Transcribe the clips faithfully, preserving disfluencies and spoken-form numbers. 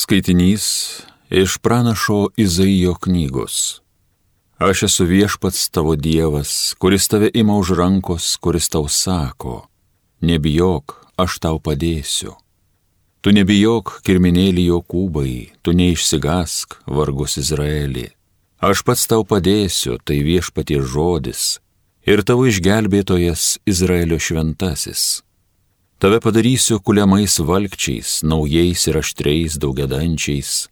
Skaitinys iš pranašo Izaijo knygos. Aš esu viešpats tavo Dievas, kuris tave ima už rankos, kuris tau sako, nebijok, aš tau padėsiu. Tu nebijok, kirminėlį Jokūbai, tu neišsigask, vargus Izraelį. Aš pats tau padėsiu, tai viešpaties žodis, ir tavo išgelbėtojas Izraelio šventasis. Tave padarysiu kuliamais valkčiais, naujais ir aštriais daugiadančiais.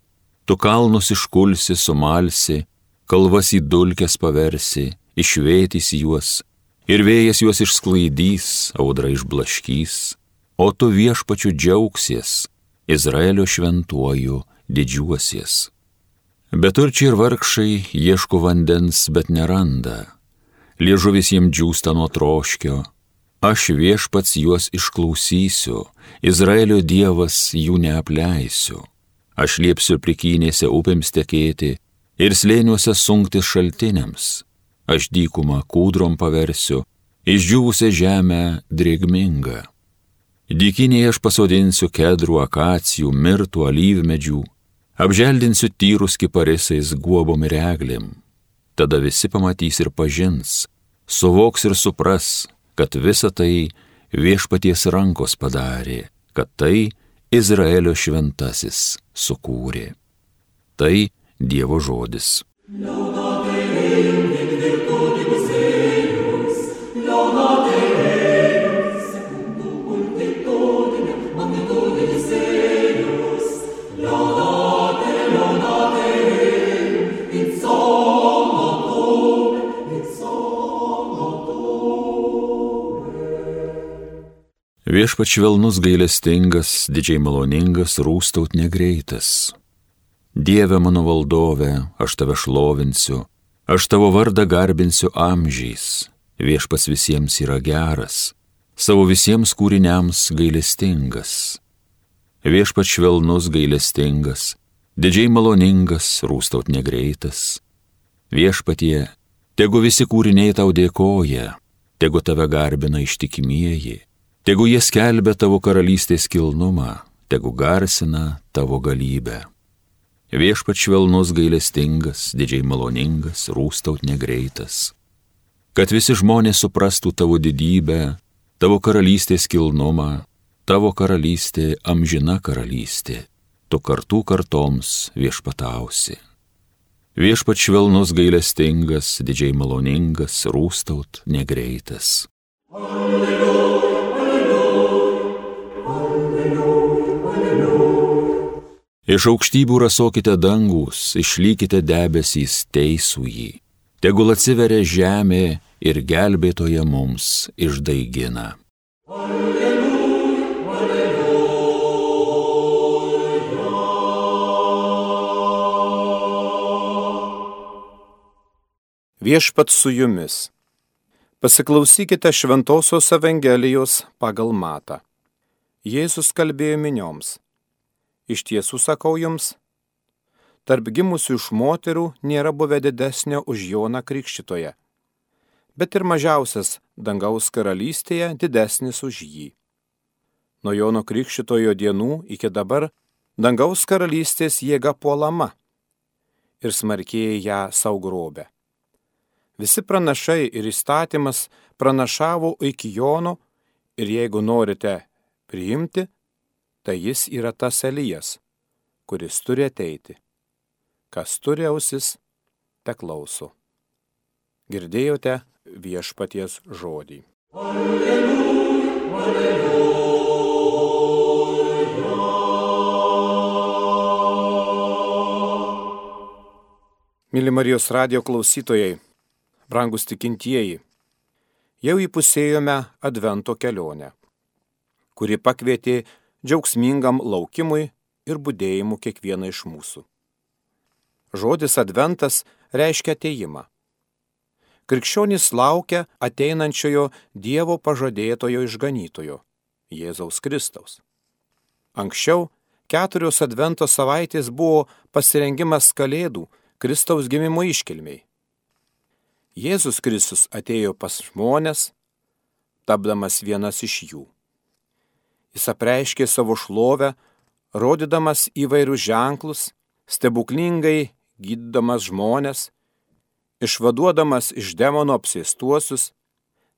Tu kalnus iškulsi, sumalsi, kalvas į dulkes paversi, išvėtysi juos, ir vėjas juos išsklaidys, audra išblaškys, o tu viešpačiu džiaugsies, Izraelio šventuoju didžiuosies. Beturčiai ir vargšai ieško vandens, bet neranda. Liežuvis jiems džiūsta nuo troškio. Aš viešpats juos išklausysiu, Izraelio Dievas jų neapleisiu. Aš liepsiu prikynėse upėms tekėti ir slėniuose sunktis šaltiniams. Aš dykumą kūdrom paversiu, išdžiūvusią žemę drėgmingą. Dykinėje aš pasodinsiu kedrų, akacijų, mirtų, alyvmedžių, apželdinsiu tyrus kiparisais, guobom ir eglėm. Tada visi pamatys ir pažins, suvoks ir supras, kad visa tai viešpaties rankos padarė, kad tai Izraelio šventasis sukūrė. Tai Dievo žodis. Viešpats švelnus gailestingas, didžiai maloningas, rūstaut negreitas. Dieve mano valdove, aš tave šlovinsiu, aš tavo vardą garbinsiu amžiais. Viešpats visiems yra geras, savo visiems kūriniams gailestingas. Viešpats švelnus gailestingas, didžiai maloningas, rūstaut negreitas. Viešpatie, tegu visi kūriniai tau dėkoja, tegu tave garbina ištikimieji. Tegu jie skelbia tavo karalystės kilnumą, tegu garsina tavo galybę. Viešpats švelnus gailestingas, didžiai maloningas, rūstaut negreitas. Kad visi žmonės suprastų tavo didybę, tavo karalystės kilnumą, tavo karalystė amžina karalystė, tu kartų kartoms viešpatausi. Viešpats švelnus gailestingas, didžiai maloningas, rūstaut negreitas. Alleluja. Iš aukštybių rasokite dangus, išlykite debesys teisų jį. Tegul atsiveria žemė ir gelbėtoja mums išdaigina. Alleluja, alleluja. Viešpats su jumis. Pasiklausykite Šventosios Evangelijos pagal Matą. Jėzus kalbėjo minioms. Iš tiesų sakau jums, tarp gimusių iš moterų nėra buvę didesnio už Joną Krikštytoją, bet ir mažiausias dangaus karalystėje didesnis už jį. Nuo Jono Krikštytojo dienų iki dabar dangaus karalystės jėga puolama ir smarkiai ją sau grobia. Visi pranašai ir įstatymas pranašavo iki Jono ir jeigu norite priimti, tai jis yra tas Elijas, kuris turi ateiti. Kas turi ausis, te klauso. Girdėjote viešpaties žodį. Alleluja, alleluja. Myli Marijos radijo klausytojai, brangus tikintieji, jau įpusėjome Advento kelionę, kuri pakvietė džiaugsmingam laukimui ir budėjimu kiekvieną iš mūsų. Žodis adventas reiškia atėjimą. Krikščionys laukia ateinančiojo Dievo pažadėtojo išganytojo, Jėzaus Kristaus. Anksčiau keturios advento savaitės buvo pasirengimas Kalėdų, Kristaus gimimo iškilmiai. Jėzus Kristus atėjo pas žmones, tapdamas vienas iš jų. Jis apreiškė savo šlovę, rodydamas įvairius ženklus, stebuklingai gydydamas žmonės, išvaduodamas iš demono apsėstuosius,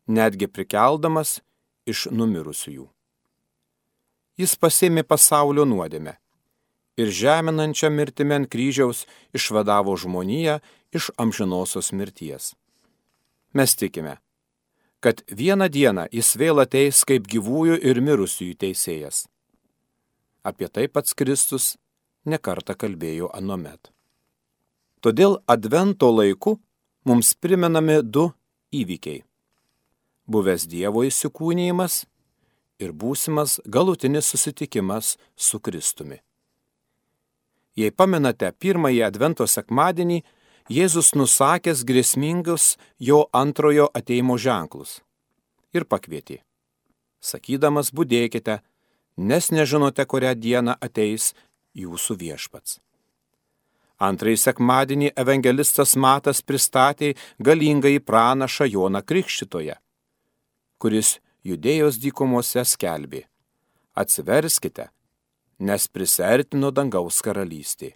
netgi prikeldamas iš numirusiųjų. Jis pasėmė pasaulio nuodėmę ir žeminančią mirtimi ant kryžiaus išvadavo žmoniją iš amžinosios mirties. Mes tikime, kad vieną dieną jis vėl ateis kaip gyvųjų ir mirusiųjų teisėjas. Apie tai pats Kristus nekartą kalbėjo anuomet. Todėl advento laiku mums primenami du įvykiai – buvęs Dievo įsikūnijimas ir būsimas galutinis susitikimas su Kristumi. Jei pamenate pirmąjį advento sekmadienį, Jėzus nusakęs grėsmingus jo antrojo ateimo ženklus ir pakvietė, sakydamas: budėkite, nes nežinote, kurią dieną ateis jūsų viešpats. Antrąjį sekmadienį evangelistas Matas pristatė galingąjį pranašą Joną Krikštytoją, kuris Judėjos dykumose skelbė: atsiverskite, nes prisiartino dangaus karalystė.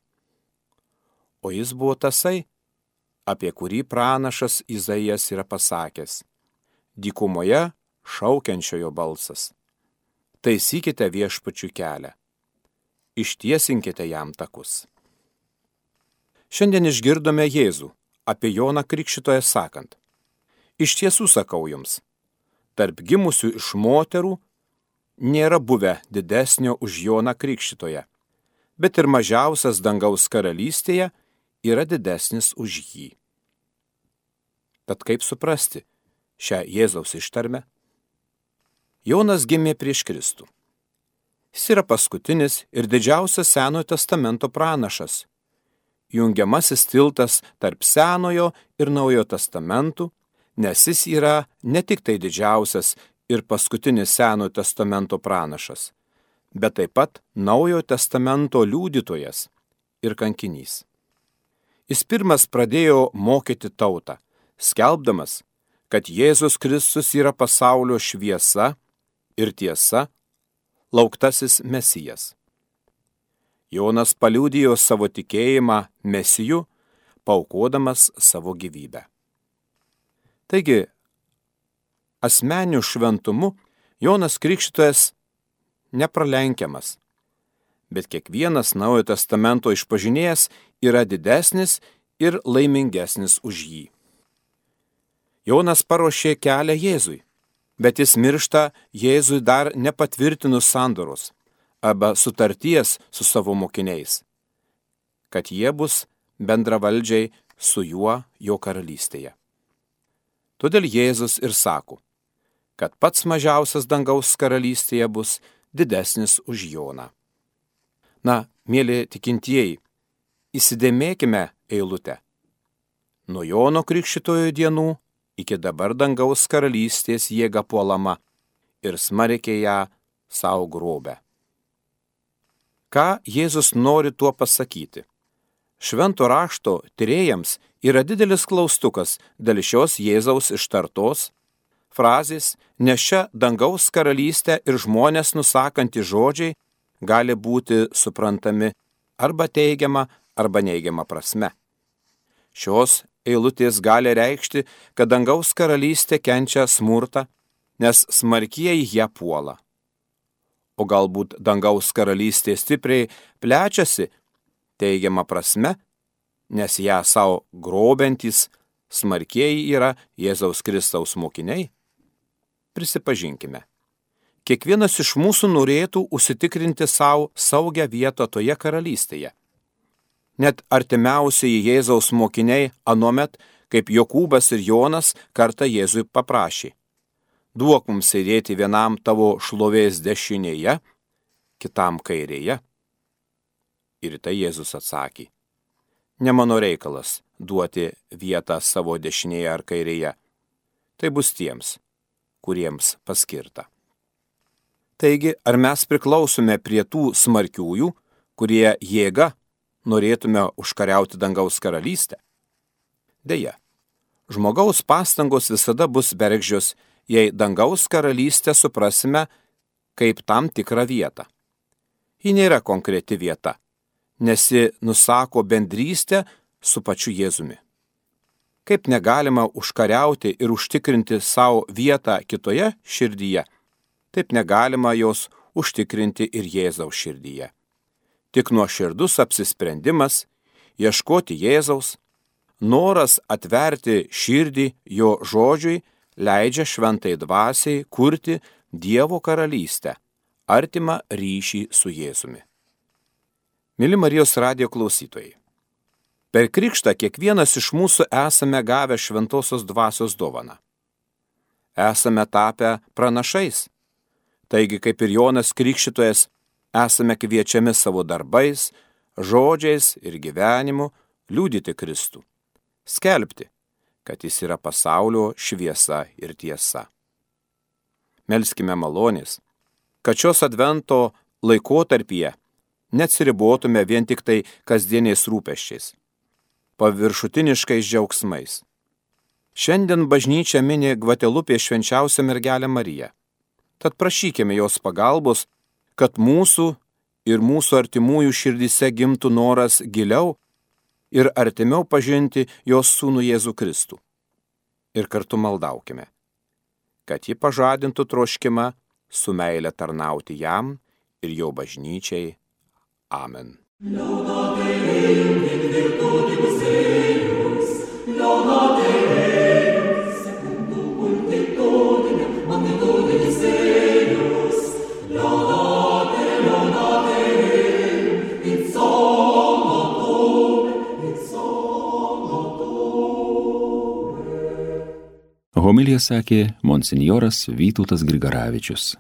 O jis buvo tasai, apie kurį pranašas Izaijas yra pasakęs: dykumoje šaukiančiojo balsas. Taisykite viešpačių kelią, ištiesinkite jam takus. Šiandien išgirdome Jėzų apie Joną Krikštytoją sakant: iš tiesų sakau jums, tarp gimusių iš moterų nėra buvę didesnio už Joną Krikštytoją, bet ir mažiausias dangaus karalystėje yra didesnis už jį. Tad kaip suprasti šią Jėzaus ištarmę? Jonas gimė prieš Kristų. Jis yra paskutinis ir didžiausias Senojo testamento pranašas, jungiamasis tiltas tarp Senojo ir Naujojo testamentų, nes jis yra ne tik tai didžiausias ir paskutinis Senojo testamento pranašas, bet taip pat Naujojo testamento liudytojas ir kankinys. Jis pirmas pradėjo mokyti tautą, skelbdamas, kad Jėzus Kristus yra pasaulio šviesa ir tiesa, lauktasis Mesijas. Jonas paliudijo savo tikėjimą Mesiju, paaukodamas savo gyvybę. Taigi, asmeniu šventumu Jonas Krikštytojas nepralenkiamas, bet kiekvienas Naujojo testamento išpažinėjas yra didesnis ir laimingesnis už jį. Jonas paruošė kelią Jėzui, bet jis miršta Jėzui dar nepatvirtinus sandoros arba sutarties su savo mokiniais, kad jie bus bendravaldžiai su juo jo karalystėje. Todėl Jėzus ir sako, kad pats mažiausias dangaus karalystėje bus didesnis už Joną. Na, mėly tikintieji, įsidėmėkime eilutę. Nuo Jono Krikštytojo dienų iki dabar dangaus karalystės jėga puolama ir smarkiai ją savo grobia. Ką Jėzus nori tuo pasakyti? Švento rašto tyrėjams yra didelis klaustukas dėl šios Jėzaus ištartos frazės, nes šią dangaus karalystę ir žmonės nusakantys žodžiai gali būti suprantami arba teigiama, arba neigiama prasme. Šios eilutės gali reikšti, kad dangaus karalystė kenčia smurtą, nes smarkieji ją puola. O galbūt dangaus karalystė stipriai plečiasi teigiama prasme, nes ją savo grobiantys smarkieji yra Jėzaus Kristaus mokiniai? Prisipažinkime, kiekvienas iš mūsų norėtų užsitikrinti savo saugią vietą toje karalystėje. Net artimiausiai Jėzaus mokiniai anuomet, kaip Jokūbas ir Jonas, kartą Jėzui paprašė: duok mums sėdėti vienam tavo šlovės dešinėje, kitam kairėje. Ir tai Jėzus atsakė: ne mano reikalas duoti vietą savo dešinėje ar kairėje. Tai bus tiems, kuriems paskirta. Taigi, ar mes priklausome prie tų smarkiųjų, kurie jėga norėtume užkariauti dangaus karalystę? Deja, žmogaus pastangos visada bus bergždžios, jei dangaus karalystę suprasime kaip tam tikrą vietą. Ji nėra konkreti vieta, nes ji nusako bendrystę su pačiu Jėzumi. Kaip negalima užkariauti ir užtikrinti savo vietą kitoje širdyje, taip negalima jos užtikrinti ir Jėzaus širdyje. Tik nuoširdus apsisprendimas ieškoti Jėzaus, noras atverti širdį jo žodžiui leidžia šventai dvasiai kurti Dievo karalystę, artimą ryšį su Jėzumi. Mili Marijos radijo klausytojai, per krikštą kiekvienas iš mūsų esame gavę šventosios dvasios dovaną. Esame tapę pranašais, taigi kaip ir Jonas Krikštytojas, esame kviečiami savo darbais, žodžiais ir gyvenimu liudyti Kristų, skelbti, kad jis yra pasaulio šviesa ir tiesa. Melskime malonės, kad šios advento laikotarpyje neatsiribotume vien tik tai kasdieniais rūpesčiais, paviršutiniškais džiaugsmais. Šiandien bažnyčia mini Gvatelupės švenčiausią mergelę Mariją. Tad prašykime jos pagalbos, kad mūsų ir mūsų artimųjų širdyse gimtų noras giliau ir artimiau pažinti jos sūnų Jėzų Kristų. Ir kartu maldaukime, kad ji pažadintų troškimą su meile tarnauti jam ir jo bažnyčiai. Amen. Homiliją sakė monsinjoras Vytautas Grigaravičius.